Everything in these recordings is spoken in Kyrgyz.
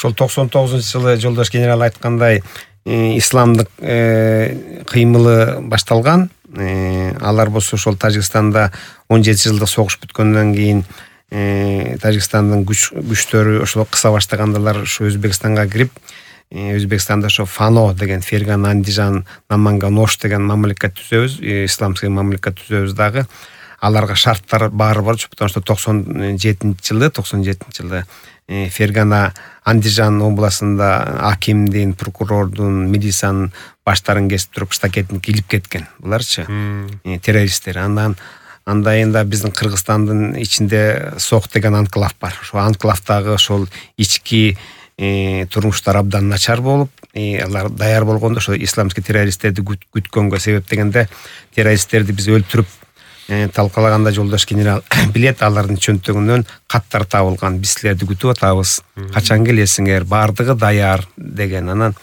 ошол 99-жылы жолдош генерал айткандай исламдык кыймылы башталган. Алар болсо ошол Тажикстанда 17 жылдык согуш бүткөндөн кийин Тажикстандын күчтөрү ошол кыса баштагандалар ошо Өзбекстанга кирип, Өзбекстанда ошо Фано деген Фергана, Андижан, Наманган, Ош деген мамлекет түзөбүз, исламский мамлекет түзөбүз дагы. Аларга шарттар баары бар, потому что 97 жылы Фергана, Андижан областында акимдин, прокурордун, милициянын баштарын кесип туруп штакеттин килип кеткен. Буларчы террористтер. Анда энди биздин Кыргызстандын ичинде Сок деген анклав бар. Ошол анклавдагы ошол ички турмуштар абдан начар болуп, алар даяр болгондо ошо исламский террористтерди күткөнгө себеп дегенде террористтерди биз өлтүрүп талкалаганда жолдош генерал билет, алардын чөнтөгүнөн каттар табылган. Биз силерди күтүп атабыз. Качан келесиңер? Бардыгы даяр деген. Анан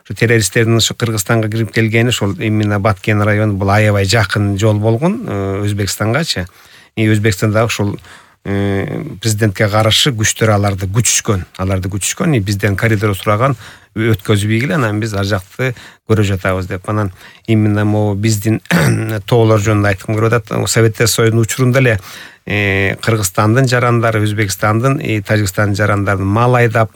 ошо террористтердин ошо Кыргызстанга кирип келгени ошол именно Баткен району, бул аябай жакын жол болгон Өзбекстангачы. Өзбекстанда ошол президентке каршы күчтөр аларды күчүшкөн, бизден коридор сураган, өткөзбөй келе, анан биз ар жакты көрө жатабыз деп. Анан именно могу биздин тоолор жөнүндө айткым келип атат. Советтер Союзунун учурунда эле Кыргызстандын жарандары, Өзбекстандын, Тажикстандын жарандарын мал айдап,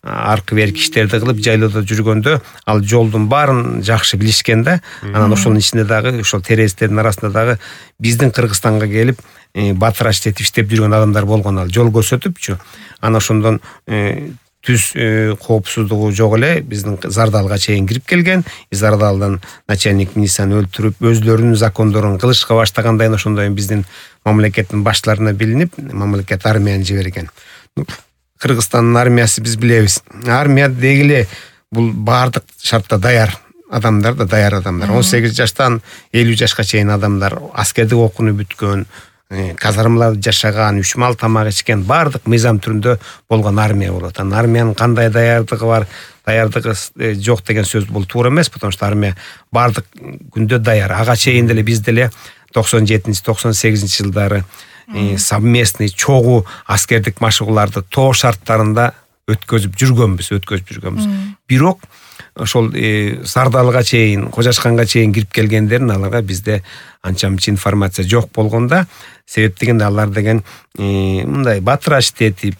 аркы берки иштерди кылып жайлоодо жүргөндө, ал жолдун баарын жакшы билишкен да. Анан ошонун ичинде дагы ошол террористтердин арасында дагы биздин Кыргызстанга келип батыраш этип иштеп жүргөн адамдар болгон, ал жол көрсөтүпчү. Анан ошондон түз коопсуздугу жок эле биздин Зардалга чейин кирип келген. Зардалдан начальник милицияны өлтүрүп, өзлөрүнүн закондорун кылышка баштагандан кийин ошондой биздин мамлекеттин баштарына билинип, мамлекет армияны жиберген. Кыргызстандын армиясы биз билебиз. Армия дегиле бул баардык шартта даяр адамдар да, даяр адамдар. 18 жаштан 50 жашка чейин адамдар, аскердик окууну бүткөн, казармаларда жашаган, 3 мал тамак ичкен, баардык мыйзам түрүндө болгон армия болот. Анан армиянын кандай даярдыгы бар, даярдыгы жок деген сөз бул туура эмес, потому что армия баардык күндө даяр. Ага чейин деле биз деле 97-98 жылдары совместный чогуу аскердик машыгууларды тоо шарттарында өткөзүп жүргөнбүз. Бирок ошол Сардалга чейин, Кожашканга чейин кирип келгендерин аларга бизде анча-мынча информация жок болгондо, себеп дегенде алар деген мындай батыраш этип,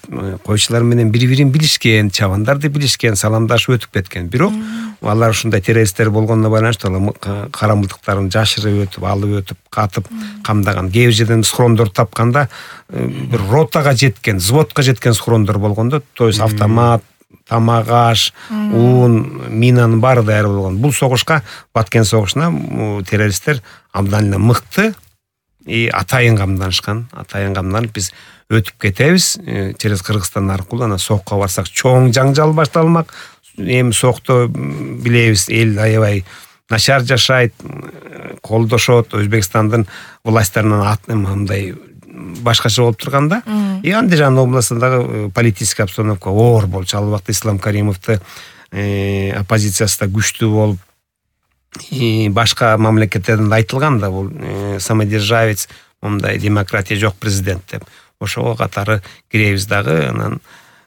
койчулар менен бири-бирин билишкен, чабандарды билишкен, саламдашып өтүп кеткен. Бирок алар ушундай террористтер болгонуна байланыштуу карамылдыктарын жашырып өтүп, алып өтүп, катып, камдаган. Кээ бир жерден схрондор тапканда бир ротага жеткен, взводко жеткен схрондор болгондо, то есть автомат, тамак аш, уун, минанын баары даяр болгон. Бул согушка, Баткен согушуна террористтер абдан эле мыкты атайын камданышкан. Атайын камданып биз өтүп кетебиз через Кыргызстан аркылуу. Анан Сокко барсак чоң жаңжал башталмак. Эми Сокто билебиз, эл аябай начар жашайт, колдошот, Өзбекстандын власттарынан мындай башкача болуп турганда, Андижан областындагы политический обстановка оор болчу. Ал убакта Ислам Каримовду оппозициясы да күчтүү болуп, башка мамлекеттерден айтылган да, бул самодержавец, мындай демократия жок президент деп. Ошого катары киребиз дагы, анан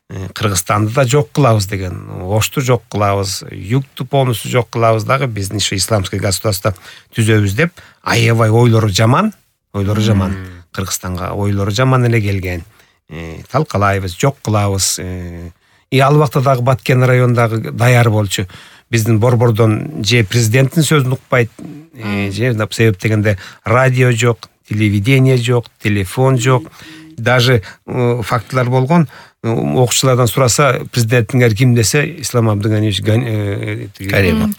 Кыргызстанды да жок кылабыз деген, Ошту жок кылабыз, Югту полностью жок кылабыз дагы, биздин иши исламский государство түзөбүз деп, аябай ойлору жаман. Кыргызстанга ойлору жаман эле келген. Талкалайбыз, жок кылабыз. Ал убакта дагы Баткен районундагы даяр болчу. Биздин борбордон же президенттин сөзүн укпайт, же себеп дегенде радио жок, телевидение жок, телефон жок. Даже фактылар болгон, окуучулардан сураса, президентиңер ким десе, Ислам Абдыганиевич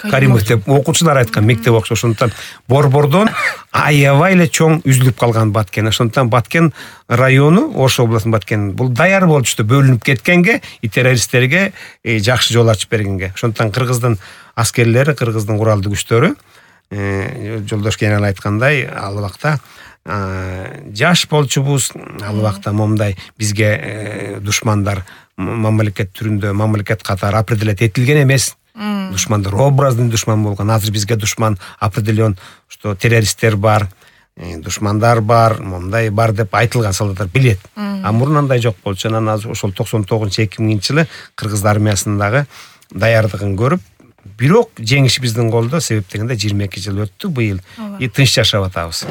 Каримов деп окуучулар айткан, мектеп окуучу. Ошондуктан борбордон аябай эле чоң үзүлүп калган Баткен. Ошондуктан Баткен району, Ош областынын Баткен, бул даяр болчу бөлүнүп кеткенге, террористтерге жакшы жол ачып бергенге. Ошондуктан Кыргыздын аскерлери, Кыргыздын куралдуу күчтөрү, жолдош генерал айткандай, ал убакта жаш болчубуз, ал убакта момундай бизге душмандар мамлекет түрүндө, мамлекет катары определять этилген эмес. Душмандар образный душман болгон. Азыр бизге душман определен, что террористтер бар, душмандар бар, мондай бар деп айтылган, солдаттар билет. А мурун андай жок болчу. Анан ошол 99-2000 жылы кыргыз армиясындагы даярдыгын көрүп, бирок жеңиш биздин колдо, себеп дегенде 22 жыл өттү быйыл. И тынч жашап атабыз.